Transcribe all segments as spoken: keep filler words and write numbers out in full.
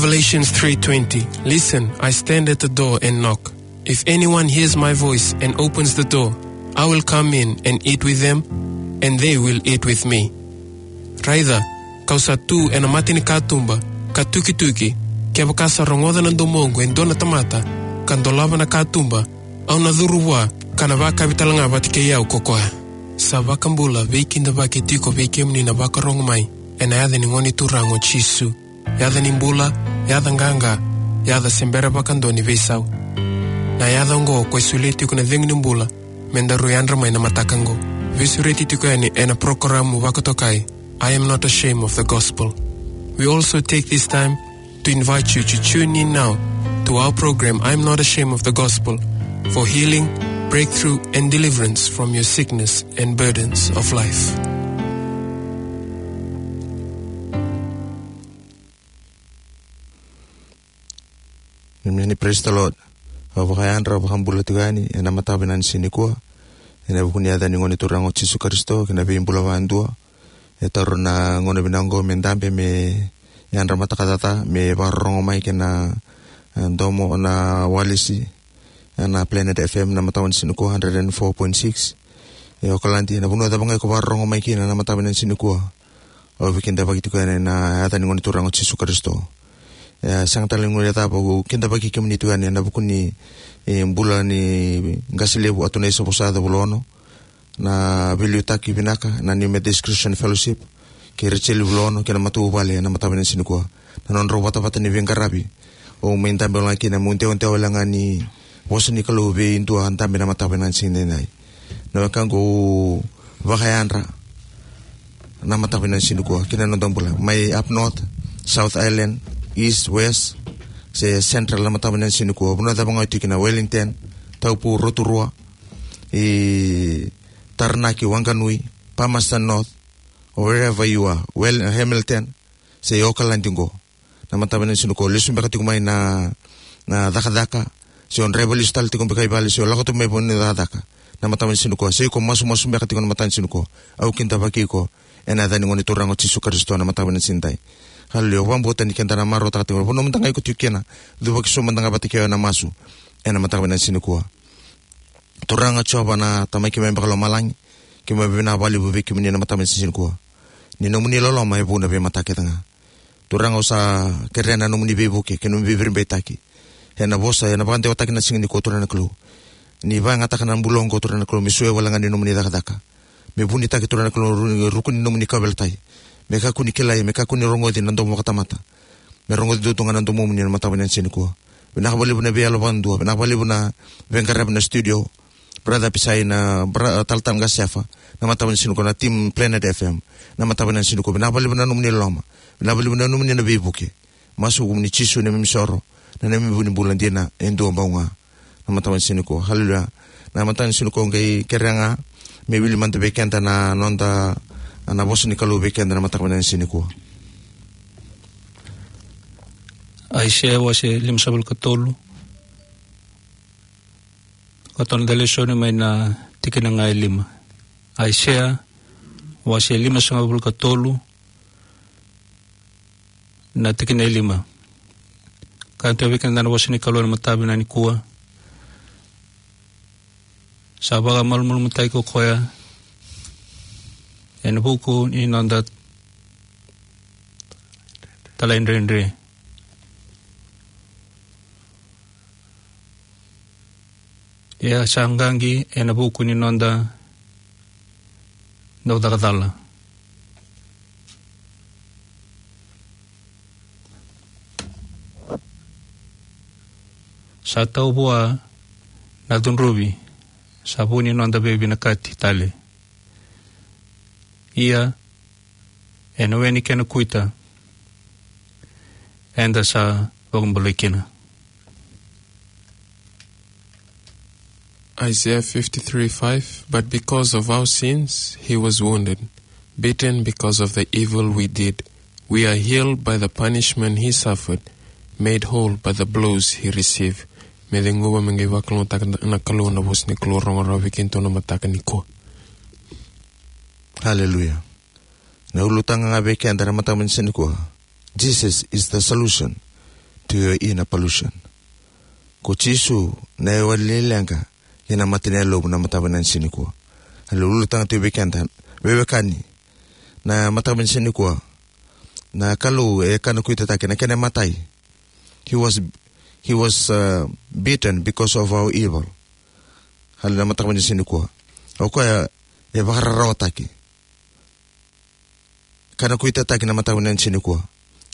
Revelation three twenty. Listen, I stand at the door and knock. If anyone hears my voice and opens the door, I will come in and eat with them, and they will eat with me. Raica, kau sa tu ena mata ni katuba, ka tukituki, kevaka sa rogoca na domoqu e dua na tamata, ka dolava na katuba, au na curu vua, ka na vakavi talega vata kei au ko koya. Sa vakabula, veikidavaki tiko vei kemuni na vakarogo mai, ena yaca ni Gone Turaga o Jisu. Yaca ni bula, yaca qaqa, yaca se bera vakadua ni veisau. Na yaca oqo ko e solia tiko na cegu ni bula, me daru yadra mai na mataka oqo. Veisureti tiko yani ena porokaramu vakatokai, I Am Not Ashamed of the Gospel. We also take this time to invite you to tune in now to our program, I Am Not Ashamed of the Gospel, for healing, breakthrough, and deliverance from your sickness and burdens of life. Amen. Praise the Lord. Au vakayadra, au vakabula tiko yani ena mataka vinaka ni siga nikua, ena vuku ni yaca ni Gone Turaga o Jisu Karisito kei na veibula vakadua. E taura na gauna vinaka oqo me dabe, me yadra mataka caca, me vakarorogo mai kei na, e, domo na walesi ena Planet F M na mataka ni siga nikua, hundred and four point six. E Okaladi, na vanua cava ga iko vakarorogo mai kina na mataka ni siga nikua, au veikidavaki tiko yani ena yaca ni Gone Turaga o Jisu Karisito. E sega tale ni guilecava, au kidavaki kemuni tiko yani ena vuku ni, e, bula ni qase levu Atonai Savosa Cavulono, na veiliutaki vinaka na New Methodist Christian Fellowship, kei Rachel Vulono kei na matavuvale ena mataka ni siga nikua. Na nodrau vatavata ni veiqaravi, au mai dabe wale ga kina, meu dewadewa wale ga ni vosa ni Kalou vei dua dabe na mataka ni siga nikua. Na wekaqu, au vakayadra na mataka ni siga nikua kina noda bula mai up north, South Island, East, West, se Central na mataka ni siga nikua. Vanua cava ga o tiko kina, Wellington, Taupo, Rotorua, i Taranaki, Wanganui, Palmerston North, or wherever you are, well, Hamilton, se Okaladi qo. Na mataka ni siga nikua, lesu beka tiko mai na, na cakacaka, se o draiva lesu tale tiko beka i vale, se o lako tu mai vua ni cakacaka. Na mataka ni siga nikua, se iko masumasu beka tiko na mataka ni siga nikua, au kidavaki iko ena yaca ni Gone Turaga o Jisu Karisito na mataka ni siga nikua. Haleluya. Au vakabauta ni keda na marautaka tiko, vanua mada ga iko tiko kina, cuvaki sobu mada ga vata kei au ena masu ena mataka ni siga nikua. Turaga Jiova na Tamai keimami vakalomalagi, keimami vinaka vakalevu vei kemuni ena mataka ni siga nikua. Ni nomuni loloma e vou na veimataka kece ga. Turaga, au sa kerea na nomuni veivuke kei na nomuni veiviribaitaki ena vosa ena vakadewataki na siga nikua, Turaga na Kalou. Ni vakayagataka na bula oqo, Turaga na Kalou, me solia wale ga ni nomuni cakacaka, me vunitaki, Turaga na Kalou, ru-, ruku ni nomuni kauveilatai, me kakua ni kilai, me kakua ni rogoci na domo vakatamata, me rogoci duadua ga na domomuni ena mataka ni siga nikua. Vinaka vakalevu na veiyalo vakadua, vinaka vakalevu na veiqaravi na studio, Brother Pisai, na bra-, Talatala Qasefa, na mataka ni siga nikua, na team Planet F M, na mataka ni siga nikua. Vinaka vakalevu na nomuni loloma, vinaka vakalevu na nomuni na veivuke. Masu ena yaca i Jisu na neimami isoro, na neimami vu ni bula dina e dua bau ga. Na mataka ni siga nikua. Haleluya. Na mataka ni siga nikua, au qai kerea ga me wili mada vei keda na noda, na vosa ni Kalou vei keda na mataka ni siga nikua. Aisea wase limasagavulu ka tolu. Ka tolu na lesoni mai na tikina ga e lima. Aisea wase limasagavulu ka tolu, na tikina e lima. Ka tau vei keda na vosa ni Kalou ena mataka vinaka nikua. Sa vakamalumalumutaki ko koya ena vuku ni noda talaidredre. Ia sa qaqi ena vuku ni noda dau caka cala. Sa tau vua na cudruvi, sa vu ni noda veivinakati tale. Ia ena we ni kena kuita eda sa vakabulai kina. Isaiah fifty-three five, "But because of our sins, he was wounded, beaten because of the evil we did. We are healed by the punishment he suffered, made whole by the blows he received." Me cegu me qai vakalougatataka na Kalou na vosa ni Kalou rogo rawa vei keitou na mataka nikua. Hallelujah. Na ulutaga ga vei keda na mataka ni siga nikua. Jesus is the solution. to your inner pollution. Ko Jisu na iwali ni leqa kei na mate ni yalomu na mataka vinaka ni siga nikua. A lulutaga tu vei keda, veiwekani, na mataka vinaka ni siga nikua. Na Kalou e kanakuitataki na kena imatai. He was, he was, uh, beaten because of our evil. Hali na mataka vinaka ni siga nikua. O koya e vakararawataki. Kanakuitataki na mataka vinaka ni siga nikua.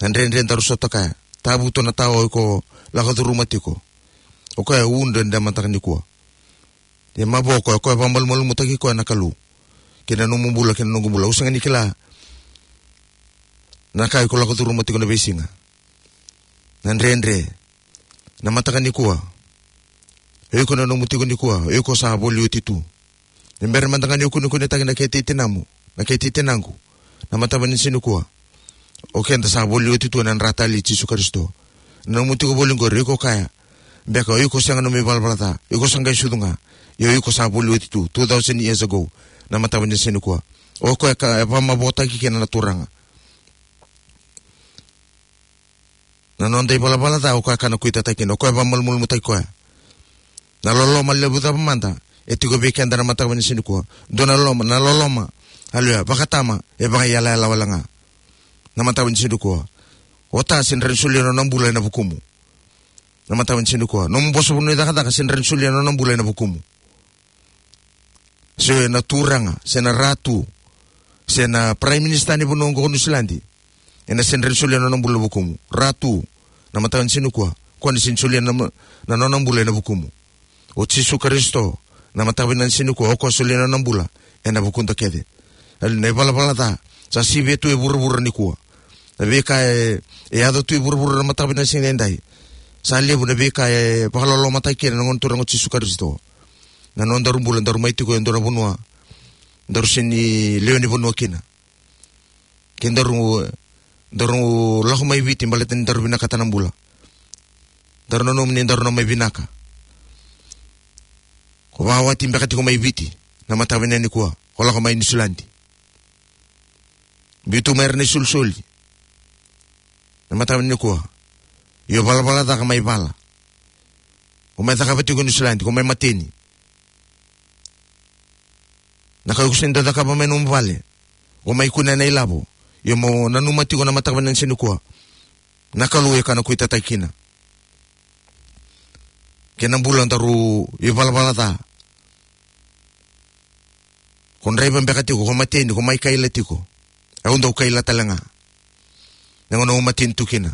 Na dredre daru sota kaya. Tavuto na tawa o iko lako curuma tiko. O koya e uda na mataka nikua. E mavoa o koya, o koya vakamalumalumutaki koya na Kalou. Kei na nomu bula, kei na noqu bula. Au sega ni kila na ka iko lako curuma tiko na veisiga. Na dredre. Na mataka nikua. O iko na nomu tiko nikua, o iko sa voli oti tu. Ni bera mada ga ni o kunekunetaki na kete i tinamu, na kete i tinaqu. Na mataka vinaka ni siga nikua. O keda sa voli oti tu ena dra talei i Jisu Karisito. Na nomu tiko voli qori, o iko kaya. Beka, o iko sega nomu ivalavala ca. O iko sa qai sucu ga. Ia o iko sa voli oti tu, two thousand years ago. Na mataka vinaka ni siga nikua. O koya ka, e vakamavotaki kina na Turaga. Na noda ivalavala ca, o koya kanakuitataki kina, o koya vakamalumalumutaki koya. Na loloma levu cava mada e tiko vei keda na mataka vinaka ni siga nikua. Dua na loloma, na loloma. Aleluya, vakatama, e vakaiyalayala wale ga. Na mataka vinaka ni siga nikua. O ta sega ni rawa ni solia na nona bula ena vukumu. Na mataka vinaka ni siga nikua. Nomu boso vanua ni cakacaka sega ni rawa ni solia na nona bula ena vukumu. Se na turaga, se na ratu, se na prime minister ni vanua oqo ko Niusiladi. Ena sega ni rawa ni solia na nona bula ena vukumu. Ratu, na mataka ni siga nikua. Koya na sega ni solia na, na nona bula ena vukumu. O Jisu Karisito, na mataka vinaka ni siga nikua. O koya solia na nona bula ena vukuda kece. Aleluya, na ivalavala ca sa sivia tu e vuravura nikua. Na veika e, e yaco tu e vuravura na mataka vinaka ni siga edai. Sa levu na veika e vakalolomataki kina na Gone Turaga o Jisu Karisito. Na nodaru bula, daru mai tiko e dua na vanua daru sega ni lewe ni vanua kina. Ke daru, daru lako mai Viti baleta ni daru vinakata na bula. Daru nanuma ni daru na mai vinaka. Ko vakawati beka tiko mai Viti na mataka vinaka nikua, ko lako mai Niusiladi. Biu tu mai ira na isolisoli na mataka vinaka nikua. Io, valavala caka mai vala. Ko mai cakava tiko e Niusiladi, ko mai mateni. Na ka iko sega ni dau cakava mai nomu vale, ko mai kunea na ilavo. Io, mo nanuma tiko na mataka vinaka ni siga nikua. Na Kalou e kanakuitataki kina. Kei na bula daru ivalavala ca. Ko draiva beka tiko, ko mateni, ko mai kaila tiko. Au dau kaila tale ga. Na gauna au mateni tu kina,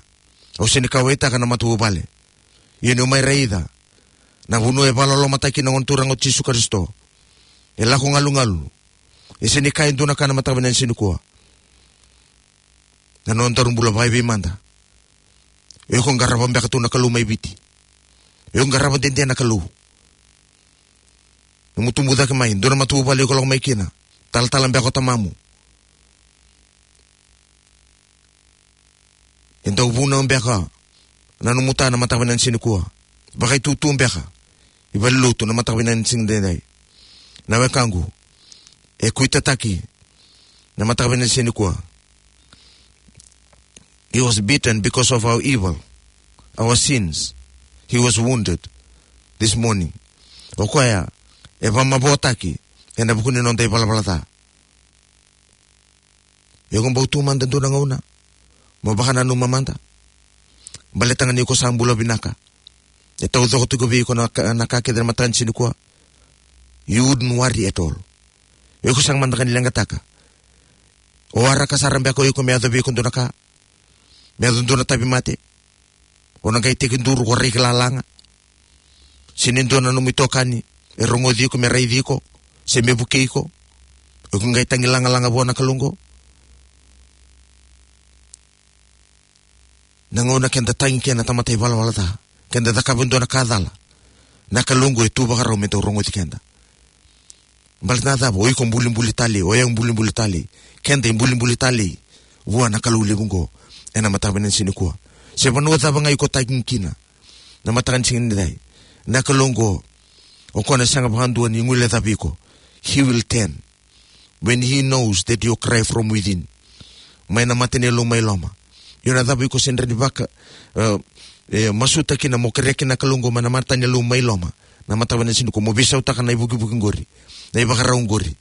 au sega ni kauwaitaka na matavuvale. Ia niu mai raica na vanua e vakalolomataki kina na Gone Turaga o Jisu Karisito, e lako galugalu. E sega ni kaya e dua na ka na mataka vinaka ni siga nikua. Na nodaru bula vakaevei mada. O iko qarava beka tu na Kalou mai Viti? O iko qarava dede na Kalou? Nomu tubu cake mai, dua na matavuvale o iko lako mai kina, talatala beka o tamamu. E dau vunau beka na nomu ta na mataka vinaka ni siga nikua? Vakaitutu beka i valenilotu na mataka vinaka ni siga edaidai? Na wekaqu, e kuitataki na mataka vinaka ni siga nikua. He was beaten because of our evil, our sins. He was wounded this morning. O koya e vakamavotaki ena vuku ni noda ivalavala ca. Iko bau tu mada dua na gauna mo vakananuma mada. Baleta ga ni iko sa bula vinaka, e taucoko tiko vei iko na ka, na ka kece na mataka ni siga nikua. You wouldn't worry at all. Iko sega mada ga ni leqataka. O waraka sara beka o iko me yaco vei iko dua na ka, me yaco dua na tauvimate. O na qai tekiduru, ko reki lalaga. Se ni dua na nomu itokani e rogoci iko, me raici iko, se me vukei iko. O iko qai tagi lagalaga vua na Kalou oqo. Na gauna keda tagi kina na tamata ivalavala ca, keda cakava e dua na ka cala, na Kalou oqo e tu vakarau me dau rogoci keda. Baleta na cava? O iko bulibuli talei, o yau bulibuli talei. Keda ibulibuli talei vua na Kalou levu oqo ena mataka vinaka ni siga nikua. Se vanua cava ga iko tagi kina na mataka ni siga nidai, na Kalou oqo, o koya na sega vakadua ni guilecavi iko. He will turn when he knows that you cry from within. Mai na mata ni yalomu mai loma. Io, na cava iko sega ni vaka, e, e, masuta kina mo kerea kina na Kalou oqo mai na matanilotu mai loma. Na mataka vinaka ni siga nikua mo veisautaka na ivukivuki oqori, na ivakarau oqori.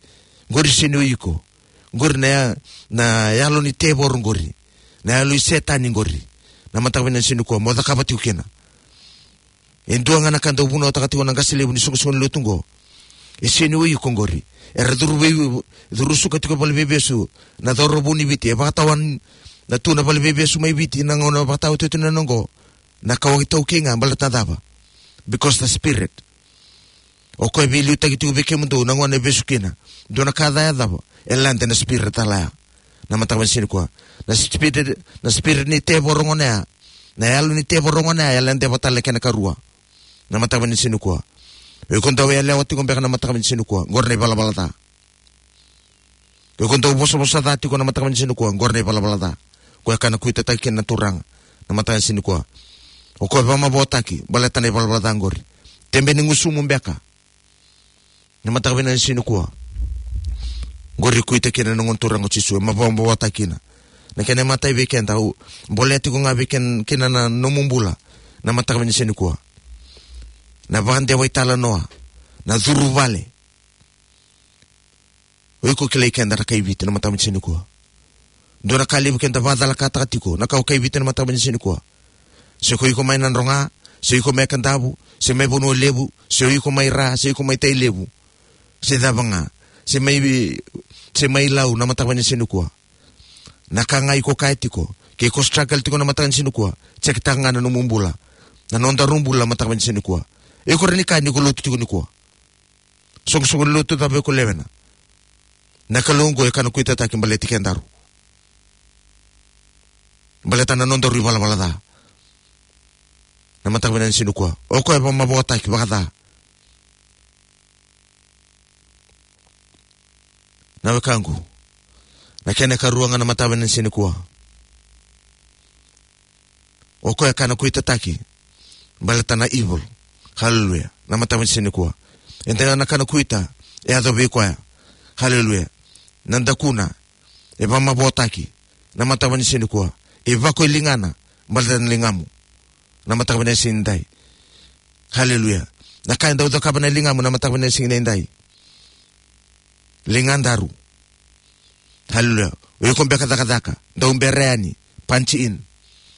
Oqori sega ni o iko. Oqori na ya-, na yalo ni tevoro oqori, na yalo i Setani oqori. Na mataka vinaka ni siga nikua mo cakava tiko kina. E dua ga na ka dau vunautaka tiko na qase levu ni soqosoqo ni lotu oqo. E sega ni o iko oqori. Era curu vei, curu suka tiko valeniveivesu na cauravou ni Viti. E vakatawa na tu na valeniveivesu mai Viti na gauna vakatawa tiko na oqo. Na ka o itaukei ga baleta na cava? Because the spirit. O koya e veiliutaki tiko vei kemudou na gauna e vesu kina. Dua na ka ca e cava? E lade na spirit cala ya. Na mataka vinaka ni siga nikua. Na spirit, na spirit ni tevoro gona ya. Na yalo ni tevoro gona ya, e ladeva tale na kena ikarua. Na mataka vinaka ni siga nikua. O iko dau yalewa tiko beka na mataka vinaka ni siga nikua. Oqori na ivalavala ca. O iko dau vosavosa ca tiko na mataka vinaka ni siga nikua. Oqori na ivalavala ca. Koya ka na kuitataki kina na Turaga. Na mataka vinaka ni siga nikua. O koya e vakamavoataki baleta na ivalavala ca oqori. Tebe ni gusumu beka. Na mataka vinaka ni siga nikua. Oqori kuita kina na noda Turaga o Jisu, e mavoa, mavoataki kina. Na kena imatai vei keda, au bolea tiko ga vei ken-, kina na nomu bula. Na mataka vinaka ni siga nikua. Na vakadewa italanoa, na curu vale. O iko kilai keda na kai Viti na mataka vinaka ni siga nikua. Dua na ka levu keda vakacalakataka tiko na ka o kai Viti na mataka vinaka ni siga nikua. Se ko iko mai Nadroga, se iko mai Kadavu, se mai Vanua Levu, se o iko mai Ra, se iko mai Tailevu, se cava ga, se mai, se mai Lau na mataka vinaka ni siga nikua. Na ka ga iko kaya tiko, ke iko struggle tiko na mataka vinaka ni siga nikua, check taka ga na nomu bula. Na nodaru bula na mataka vinaka ni siga nikua. Iko rawa ni kaya ni ko lotu tiko nikua. Soqosoqo ni lotu cava iko lewena. Na Kalou oqo e ka na kuitataki baleti kedaru. Baleta na nodaru ivalavala ca. Na mataka vinaka ni siga nikua. O koya e vakamavoataki vakaca. Na wekaqu. Na kena ikarua ga na mataka vinaka ni siga nikua. O koya e ka na kuitataki baleta na evil. Haleluya. Na mataka vinaka ni siga nikua. E dua na ka na kuita e yaco vei koya. Haleluya. Na dakuna e vakamavoataki. Na mataka vinaka ni siga nikua. E vako e ligana baleta na ligamu. Na mataka vinaka ni siga nidai. Haleluya. Na ka e dau cakava na ligamu na mataka vinaka ni siga nidai. Ligadaru. Haleluya. O iko beka cakacaka, dau bera yani, punch in.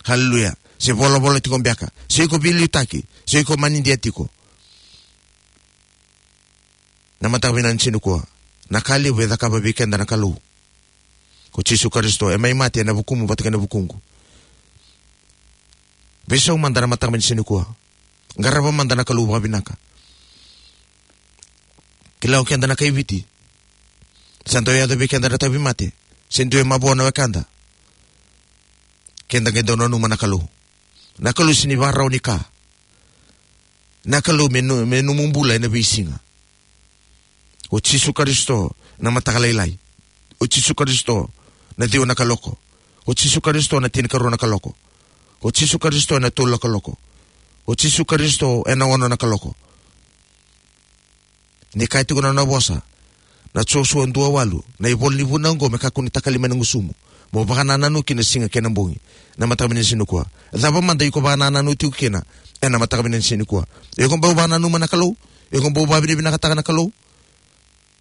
Haleluya. Se volavola tiko beka, se iko veiliutaki, se iko manidia tiko. Na mataka vinaka ni siga nikua. Na ka levu e cakava vei keda na Kalou. Ko Jisu Karisito, e mai mate ena vukumu vata kei na vukuqu. Veisau mada na mataka vinaka ni siga nikua. Qarava mada na Kalou vakavinaka. Kila o keda na kai Viti. Sa dau yaco vei keda na tauvimate. Se dua e mavoa na wekada. Keda qai dau nanuma na Kalou. Na Kalou sega ni vakarau ni ka. Na Kalou me no-, me nomu bula ena veisiga. O Jisu Karisito na mataka lailai. O Jisu Karisito na ciwa na kaloko. O Jisu Karisito na tinikarua na kaloko. O Jisu Karisito na tolu na kaloko. O Jisu Karisito ena ono na kaloko. Ni kaya tiko na nona vosa, na Josua dua walu, na ivola ni vunau oqo me kakua ni takali mai na gusumu. Mo vakanananu kina siga kei na bogi. Na mataka vinaka ni siga nikua. Cava mada iko vakanananu tiko kina ena mataka vinaka ni siga nikua? Iko bau vakananuma na Kalou? Iko bau vakavinavinakataka na Kalou?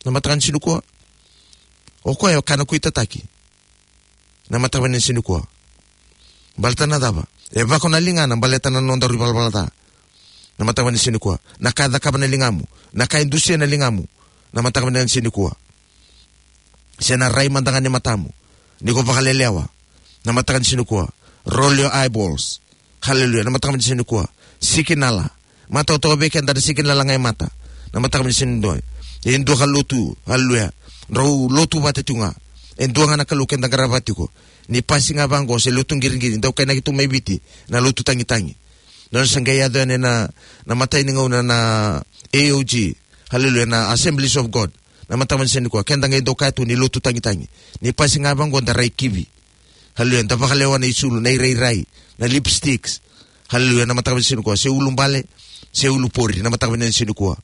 Na mataka ni siga nikua. O koya e ka na kuitataki. Na mataka vinaka ni siga nikua. Baleta na cava? E vako na ligana baleta na nodaru ivalavala ca. Na mataka vinaka ni siga nikua. Na ka e cakava na ligamu. Na ka e dusia na ligamu. Na mataka vinaka ni siga nikua. Se na rai mada ga ni matamu. Ni ko vakalelewa. Na mataka ni siga nikua. Roll your eyeballs. Haleluya. Na mataka vinaka ni siga nikua. Sikinala. Matau toka vei keda na sikinala ga e mata. Na mataka vinaka ni siga nikua. E dua ka lotu. Haleluya. Drau lotu vata tiko ga. E dua ga na Kalou keda qarava tiko. Ni pasi ga vaqo se lotu qiriqiri. Dau kainaki tu mai Viti. Na lotu tagitagi. Nona sa qai yaco yani na, na matai ni gauna na A O G. Haleluya. Na Assemblies of God. Na mataka vinaka ni siga nikua. Keda qai dau kaya tu ni lotu tagitagi. Ni pasi ga vaqo da rai kivi. Haleluya. Da vakalewa na isulu, na irairai, na lipsticks. Haleluya. Na mataka vinaka ni siga nikua. Se ulubale, se ulupori. Na mataka vinaka ni siga nikua.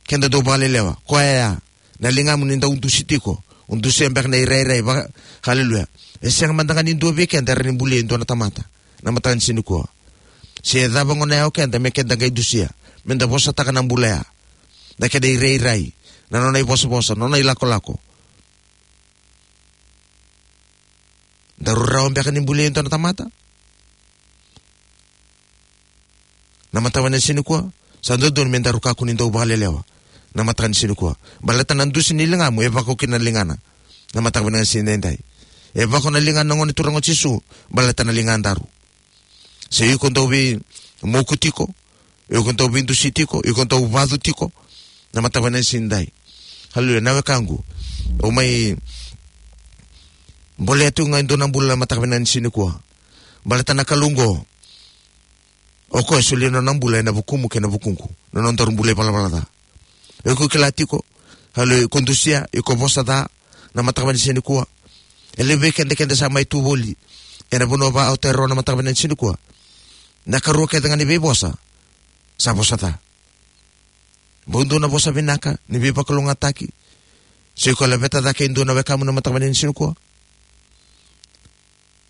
Keda dau vakalelewa. Koya ya. Na ligamu ni dau dusi tiko. O dusia beka na irairai. Va-, haleluya. E sega mada ga ni dua vei keda e rawa ni bulia e dua na tamata. Na mataka ni siga nikua. Se cava gona ya o keda me keda qai dusia, me da vosataka na bula ya, na keda irairai, na nona ivosavosa, na nona ilakolako. Daru rawa beka ni bulia e dua na tamata? Na mataka vinaka ni siga nikua, sa dodonu me daru kakua ni dau vakalelewa. Na mataka ni siga nikua, baleta na dusi ni ligamu e vako kina na ligana. Na mataka vinaka ni siga edaidai, e vako na ligana na Gone Turaga o Jisu baleta na ligadaru. Se iko dau veimoku tiko, iko dau veidusi tiko, iko dau vacu tiko, na mataka vinaka ni siga edaidai. Haleluya, na wekaqu. Au mai bolea tiko ga e dua na bula na mataka vinaka ni siga nikua. Baleta na Kalou oqo, o koya e solia na nona bula ena vukumu kei na vukuqu, na nodaru bula ivalavala ca. O iko kila tiko, haleluya, iko dusia, iko vosa ca, na mataka vinaka ni siga nikua. E levu vei keda, keda sa mai tu voli ena vanua va Aotearoa na mataka vinaka ni siga nikua. Na ikarua kece ga ni veivosa, sa vosa ca. Bau dua na vosa vinaka ni veivakalougatataki? Se iko laveta cake e dua na wekamu na mataka vinaka ni siga nikua?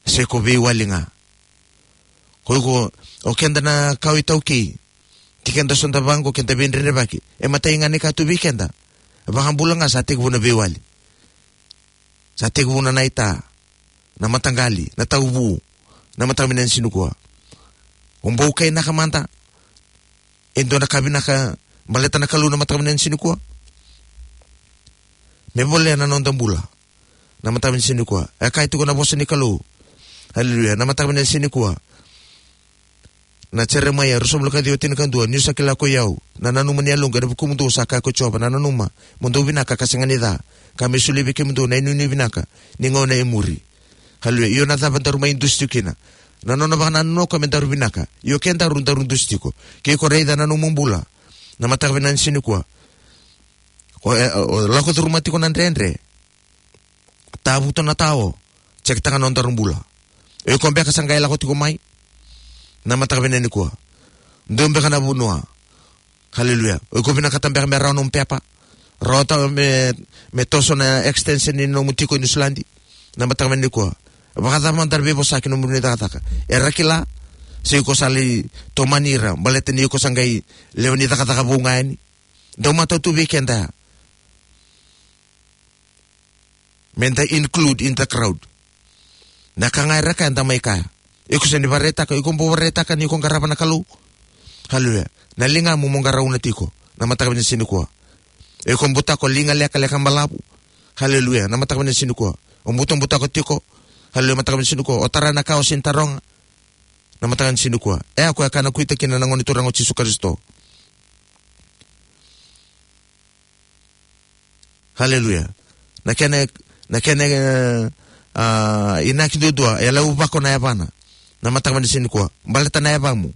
Se ko veiwali ga? Ko iko, o keda na kawa iTaukei, ti keda soda vaqo, keda veidredrevaki, e matai ga ni ka tu vei keda. Vakabula ga sa tekivu na veiwali. Sa tekivu na naita, na mataqali, na tauvu, na mataka vinaka ni siga nikua. O bau kainaka mada e dua na ka vinaka baleta na Kalou na mataka vinaka ni siga nikua, me volea na noda bula. Na mataka vinaka ni siga nikua, e kaya tiko na vosa ni Kalou, haleluya, na mataka vinaka ni siga nikua, na Jeremaia ruasagavulu ka ciwa, tinikadua: Niu sa kila koi au na nanuma ni yaloqu ena vukumudou, sa kaya ko Jiova, na nanuma mo dou vinaka ka sega ni ca, ka me solia vei kemudou na inuinui vinaka ni gauna e muri. Haleluya. Io, na cava daru mai dusi tiko kina? Na nona vakanananu o koya me daru vinaka. Io, ke daru, daru dusi tiko. Ke iko raica na nomu bula na mataka vinaka ni siga nikua, o, e, o lako curuma tiko na dredre, tavuta na tao, jekitaka na nodaru bula. O iko beka sa qai lako tiko mai na mataka vinaka nikua? Dua beka na vanua, haleluya, o iko vinakata beka me rawa nomu pepa, rawa tale me, me toso na extension ni nomu tiko i Niusiladi na mataka vinaka nikua? Vakacava mada era veivosaki na nomuni cakacaka? Era kila? Se iko sa lai tomani ira baleta ni iko sa qai lewe ni cakacaka vou ga yani? Dau matau tu vei keda ya me da include in the crowd. Na ka ga era kaya, da mai kaya. Iko sega ni vakaraitaka, iko bau vakaraitaka ni ko qarava na Kalou. Haleluya. Na ligamu mo qarauna tiko na mataka vinaka ni siga nikua. Iko butako liga lekaleka balavu. Haleluya. Na mataka vinaka ni siga nikua, o butabutako tiko. Haleluya. Mataka vinaka ni siga nikua, o tara na ka o sega ni taroga. Na mataka vinaka ni siga nikua, e a koya ka na kuita kina na Gone Turaga o Jisu Karisito. Haleluya. Na kena, na kena, e, a, inaki duadua, e lau vako na yavana na mataka vinaka ni siga nikua baleta na yavamu.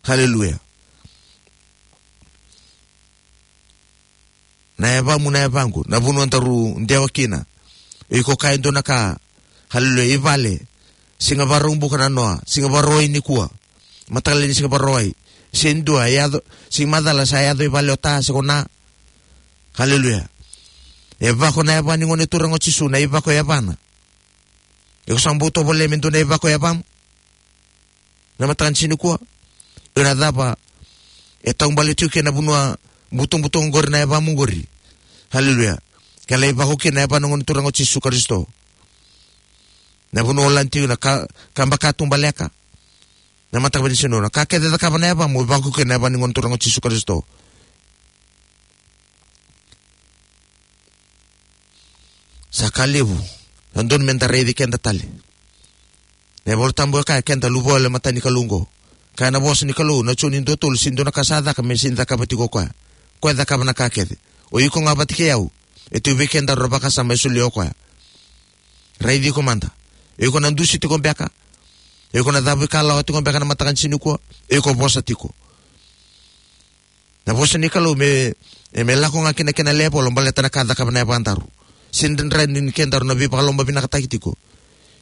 Haleluya. Na yavamu, na yavaqu, na vanua daru dewa kina. Iko kaya e dua na ka, haleluya, i vale. Siga Vakaraubuka na noa, siga Vakarauwai nikua. Mataka lailai ni siga Vakarauwai, se dua e yaco, se macala sa yaco i vale o ta se ko na. Haleluya. E vako na yava ni Gone Turaga o Jisu, na ivako yavana. Iko sa bau tovolea me dua na ivako yavamu na mataka ni siga nikua? Io, na cava e taubale tiko kina na vanua butobuto oqori, na yavamu oqori? Haleluya. Ke lai vako kina na yava ni Gone Turaga o Jisu Karisito, na vanua o lani tiko, na ka, ka baka tubaleka na mataka vinaka ni siga nikua, na ka kece e cakava na yavamu, vako kina na yava ni Gone Turaga o Jisu Karisito. Sa ka levu, sa dodonu me da raici keda tale. Na iVolatabu e kaya, keda luvawale e mata ni Kalou oqo. Kaya na vosa ni Kalou, na Joni dua tolu, sega ni dua na ka sa caka me sega ni cakava tiko o koya. Koya e cakava na ka kece. O iko ga vata kei au, e tu vei kedaru na vakasama e solia o koya. Raici iko mada. Iko na dusi tiko beka? Iko na cavuikalawa tiko beka na mataka ni siga nikua? Iko vosa tiko? Na vosa ni Kalou me, e me lako ga kina kena level baleta na ka cakava na yavadaru. Sega ni dredre ni kedaru na veivakalomavinakataki tiko.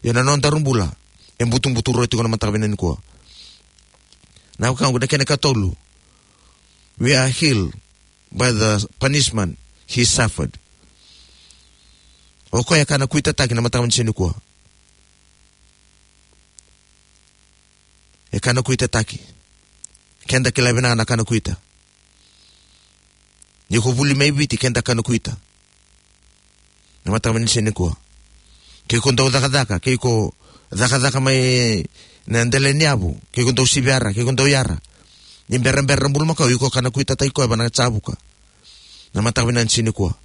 Ia na nodaru bula e butubutu rua tiko na mataka vinaka nikua. Na wekaqu, na kena ikatolu, we are healed by the punishment he suffered. O koya e ka na kuitataki na mataka vinaka ni siga nikua. E ka na kuitataki. Keda kila vinaka na kana kuita. Ni ko vuli mai Viti, keda kana kuita. Na mataka vinaka ni siga nikua. Ke ko dau cakacaka, ke ko cakacaka mai na dela ni yavu, ke ko dau siviyara, ke ko dau yara. Ni berabera na bulumakau, iko kana kuitataki koya vua na Javuka. Na mataka vinaka ni siga nikua.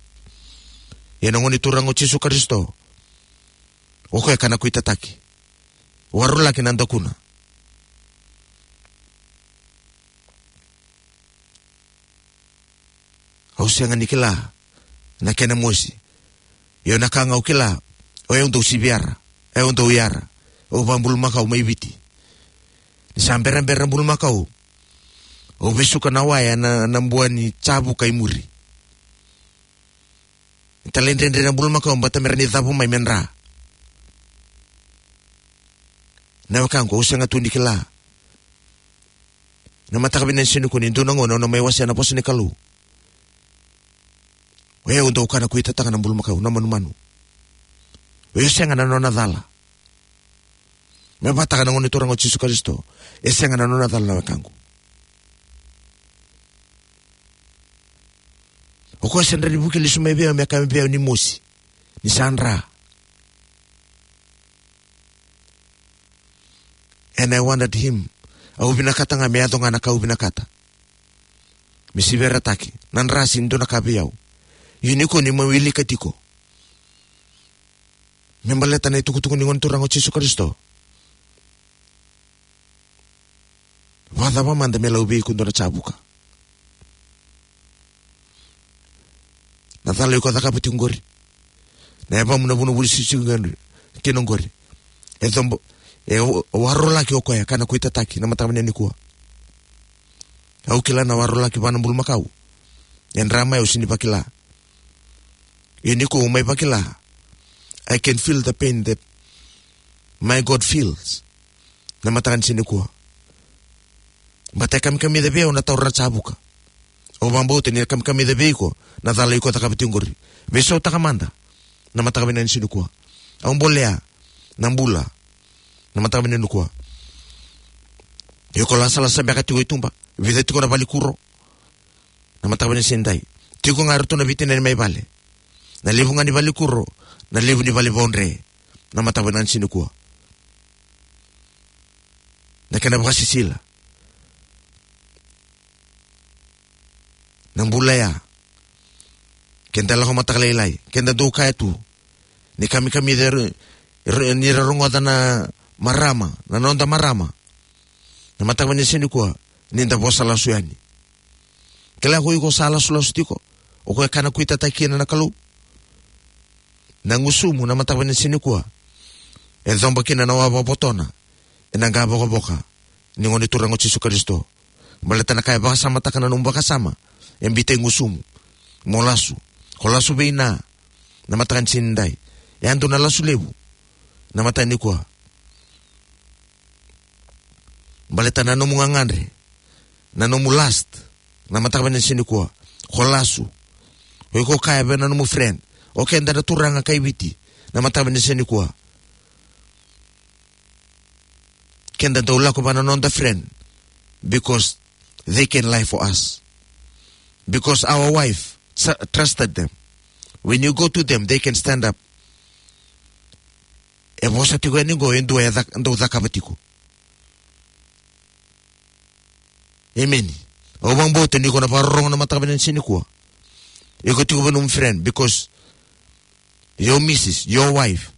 Ia na Gone Turaga o Jisu Karisito, o koya kana kuitataki. Warolaki na dakuna. Au sega ni kila na kena mosi. Io, na ka ga au kila, o yau dau siviyara, o yau dau yara. Au vabulumakau mai Viti. Ni sa berabera na bulumakau, au vesuka na waya na, na bua ni Javuka i muri. Talaidredre na bulumakau, bata me ra ni cavu mai me dra. Na wekaqu, au sega tu ni kila. Na mataka vinaka ni siga nikua, ni dua na gauna au na mai wasea na vosa ni Kalou. O yau dau kana kuitataka na bulumakau, na manumanu. O yau sega na nona cala. Me vakataka na Gone Turaga o Jisu Karisito, e sega na nona cala, na wekaqu. O koya sa dra ni vuki lesu mai vei au me kaya vei au ni mosi. Ni sa dra. And I wanted him. Au vinakata ga me yaco ga na ka au vinakata. Me siviyarataki. Na dra sega ni dua na ka vei au. Ia nikua niu mai wilika tiko. Me baleta na itukutuku ni Gone Turaga o Jisu Karisito. Vakacava mada me lau vei iko dua na Javuka? Na cala iko cakava tiko qori. Na yavamu na vunavuna sisisi qori. Kina qori. E cobo, e wa-, warolaki o koya kana kuitataki na mataka vinaka nikua. Au kila na warolaki vua na bulumakau. E dra mai, au sega ni vakila. Ia nikua au mai vakila. I can feel the pain that my God feels. Na mataka ni siga nikua. Bata e kamikamica vei au na taura na Javuka. Au vakabauta ni kamikamica vei iko na cala iko cakava tiko qori. Veisautaka mada. Na mataka vinaka ni siga nikua. Au bolea na bula. Na mataka vinaka nikua. Iko lasalasa beka tiko i tuba. Vica tiko na valenikuro. Na mataka vinaka ni siga nidai. Tiko ga eratou na veitinani mai vale. Na levu ga ni valenikuro, na levu ni vale ni vodre. Na mataka vinaka ni siga nikua. Na kena vakasisila. Na bula ya. Keda lako mataka lailai. Keda dau kaya tu. Ni kamikamica ira, ira, ni ra rogoca na marama, na noda marama. Na mataka vinaka ni siga nikua, ni da vosa lasu yani. Kila ko iko sa lasulasu tiko, o koya kana kuitataki kina na Kalou. Na gusumu na mataka vinaka ni siga nikua. E coba kina na wavavotona, ena qavokavoka ni Gone Turaga o Jisu Karisito. Baleta na ka e vakasamataka na nomu vakasama, e biuta e gusumu. Mo lasu. Ko lasu vei na, na mataka ni siga nidai. E a dua na lasu levu. Na mataka nikua. Baleta na nomu gagadre. Na nomu lust. Na mataka vinaka ni siga nikua. Ko lasu. O iko kaya vei na nomu friend. O keda na turaga kai Viti. Na mataka vinaka ni siga nikua. Keda dau lako vua na noda friend because they can lie for us. Because our wife tr-, trusted them. When you go to them, they can stand up. E vosa tiko yani qo e dua e cak-, dau cakava tiko. Emeni. Au vakabauta ni ko na vakarorogo na mataka vinaka ni siga nikua. Iko tiko vua nomu friend because your missus, your wife,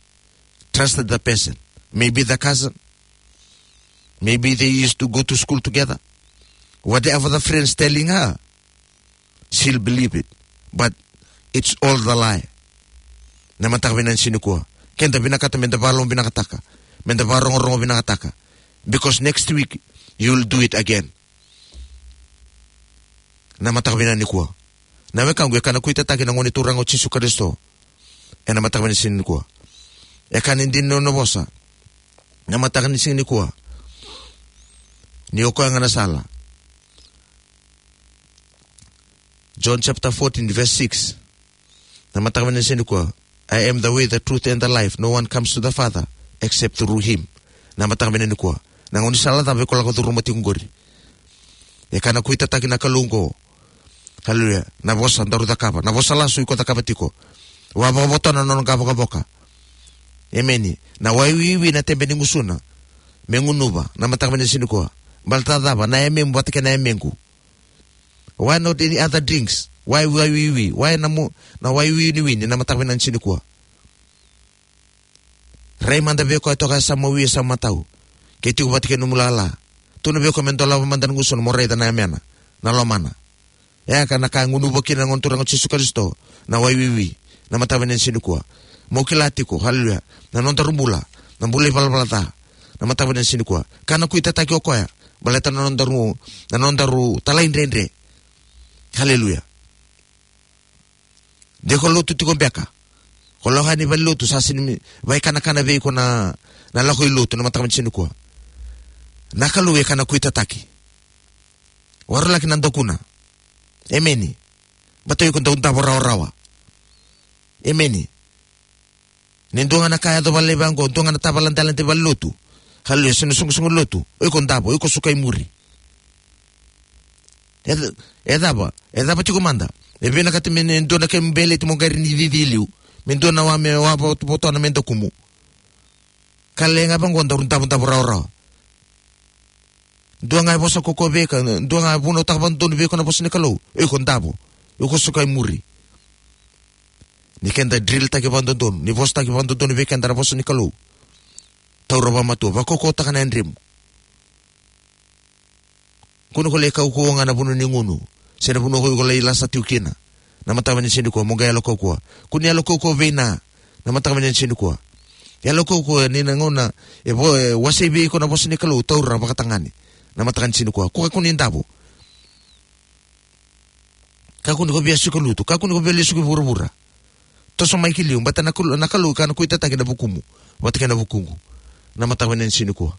trusted the person. Maybe the cousin. Maybe they used to go to school together. Whatever the friend's telling her, she'll believe it. But it's all the lie. Na mataka vinaka ni siga nikua. Keda vinakata meda vakalomavinakataka. Meda vakarogorogo vinakataka. Because next week, you'll do it again. Na mataka vinaka nikua. Na wekaqu, e kana kuitataki na Gone Turaga o Jisu Karisito. Ena mataka vinaka ni siga nikua. E kana dina na vosa. Na mataka ni siga nikua. Ni o koya ga na sala. John chapter fourteen, verse six. Na mataka vinaka ni siga nikua. "I am the way, the truth, and the life. No one comes to the Father except through him." Na mataka vinaka nikua. Na gaunisala cava iko lako curuma tiko qori? E ka na kuitataki na Kalou oqo. Haleluya. Na vosa daru cakava, na vosa lasu iko cakava tiko. Wa vakavotona na nona qavokavoka. Emeni. Na wai wiwi na tebe ni gusuna me gunuva, na mataka vinaka ni siga nikua. Baleta cava? Na yamemu vata kei na yamequ. Why not any other drinks? Why wai wiwi? Why na mu-, na wai winiwini, na mataka vinaka ni siga nikua? Rai mada vei koya toka e sa mawi, e sa matau. Ke tiko vata kei nomu lala. Tukuna vei koya me dolava mada na gusuna mo raica na yamena, na lomana. E ka na ka e gunuva kina na Gone Turaga o Jisu Karisito, na wai wiwi, na mataka vinaka ni siga nikua. Mo kila tiko, haleluya. Na nodaru bula, na bula ivalavala ca, na mataka vinaka ni siga nikua. Ka na kuitataki o koya, baleta na nodaru, na nodaru talaidredre. Haleluya. De ko lotu tiko beka. Ko lako yani valelotu, sa sega ni vaikanakana vei iko na, na lako i lotu, na mataka vinaka ni siga nikua. Na Kalou e ka na kuitataki. Waralaki na dakuna. Emeni. Baleta iko dau davo rawarawa. Emeni. Ni dua ga na ka yaco vale vaqo, dua ga na tavaladela de valelotu. Haleluya, se na soqosoqo lotu. O iko davo, o iko suka i muri. E, e cava, e cava tiko mada? E vinakati me dua na kemu beleti mo qai ni cici liu. Me dua na wa me wa vo-, votona me dakumu. Ka leqa vaqo daru davodavo rawarawa. Dua ga e vosa ko ko vei iko, dua ga e vunautaka vakadodonu vei iko na vosa ni Kalou. O iko davo, o iko suka i muri. Ni keda drilitaki vakadodonu, ni vosataki vakadodonu vei keda na vosa ni Kalou. Taura vakamatua, vakaukauwataka na yadremu. Kua ni ko lai kaukauwa ga na vanua ni gunu, se na vanua ko iko lai lasa tiko kina. Na mataka vinaka ni siga nikua, mo qai yalo kaukauwa. Kua ni yalo kaukauwa vei na, na mataka vinaka ni siga nikua. Yalo kaukauwa ni na gauna e vo-, e wasei vei iko na vosa ni Kalou, taura vakatagane. Na mataka ni siga nikua. Kua, kua ni davo. Kakua ni ko via suka lutu, kakua ni ko via lai suka i vuravura. Toso mai ki liu, baleta na Kalou, na Kalou e ka na kuitataki na vukumu vata kei na vukuqu. Na mataka vinaka ni siga nikua.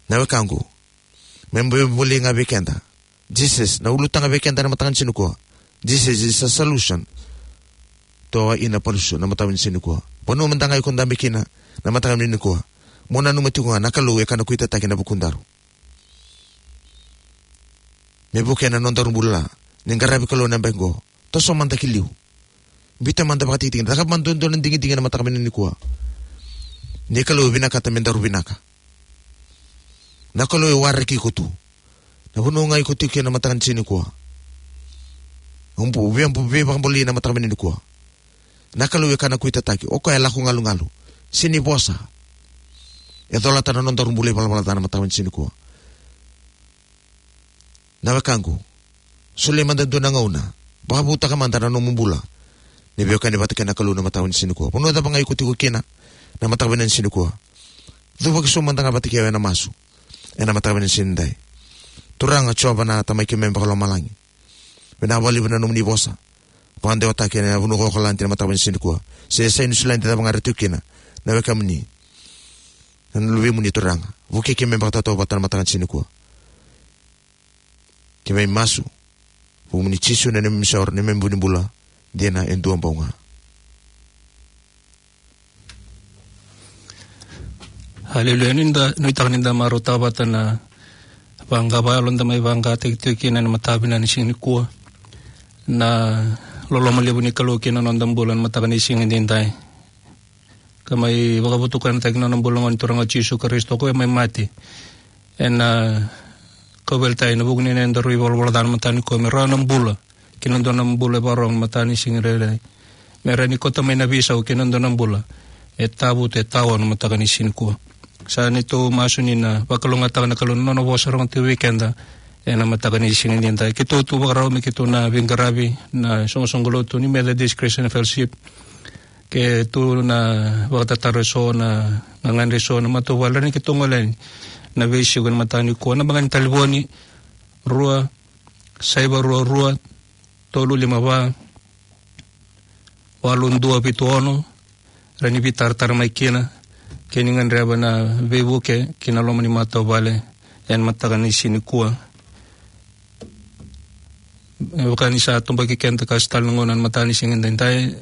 Na wekaqu, me bolei ga vei keda. Jesus, na ulutaga vei keda na mataka ni siga nikua. Jesus is a solution to our inner pursuit, na mataka vinaka ni siga nikua. Vanua mada ga iko dabe kina, na mataka vinaka ni siga nikua. Mo nanuma tiko ga, na Kalou e ka na kuitataki na vukudaru. Me vukea na nodaru bula. Ni qaravi Kalou na yabaki qo. Toso mada ki liu. Biuta mada vakatikitiki. Cakava mada e dua na digidigi na mataka vinaka ni siga nikua. Ni Kalou e vinakata me daru vinaka. Na Kalou e waraki iko tu. Na vanua ga iko tiko kina na mataka ni siga nikua. Ubu, via bu, via vakabolei na mataka vinaka ni siga nikua. Na Kalou e ka na kuitataki, o koya e lako galugalu. Sega ni vosa. E colata na nodaru bula ivalavala ca na mataka vinaka ni siga nikua. Na wekaqu, solia mada e dua na gauna. Vakavutaka mada na nomu bula. Ni veiwekani vata kei na Kalou na mataka vinaka ni siga nikua. Vanua cava ga iko tiko kina, na mataka vinaka ni siga nikua. Cuva ki so mada ga vata kei au ena masu. Ena mataka vinaka ni siga nidai. Turaga Jiova na Tamai keimami vakalomalagi. Vinaka vakalevu na nomuni vosa. Vakadewataki ena vanua ko Okaladi na mataka vinaka ni siga nikua. Se sa i Niusiladi, cava ga era tiko kina. Na wekamuni. Na luvemuni Turaga. Vukei keimami vakatautauvata na mataka ni siga nikua. Keimami masu. Vukumuni Jisu na neimami isoro, neimami vu ni bula. Dina e dua bau ga. Aleluya. Ni da, nuitaka ni da marautaka vata na vaqa vakayalo da mai vaqataki tiko kina ena mataka vinaka ni siga nikua. Na loloma levu ni Kalou kina noda bula ena mataka ni siga nidai. Ka mai vakavotukanataki na nona bula na Gone Turaga o Jisu Karisito, o koya mai mate. Ena kauveilatai ena vuku ni nodaru ivalavala ca na mataka nikua, me rawa na bula. Kei na dua na bula e vakarorogo na mataka ni siga nidai. Me rawa ni kauta mai na veisau kei na dua na bula e tavutu, e tawa na mataka ni siga nikua. Sa neitou masu ni na vakalougatataka na Kalou na nona vosa rogo tiko vei keda ena mataka ni siga nidai. Keitou tu vakarau me keitou na veiqaravi na soqosoqo lotu ni Methodist Christian Fellowship. Keitou na vakatataro eso na gagadre eso na matavuvale ni keitou gole yani na veisiko ena mataka nikua. Na vaqani talevoni, rua saiva rua rua tolu lima va walu dua vitu ono. Rawa ni veitaratara mai kina ke ni gadreva na veivuke ki na loma ni matavuvale ena mataka ni siga nikua. E vaka ni sa toboki keda ka sa tale na gauna ena mataka ni siga nidai.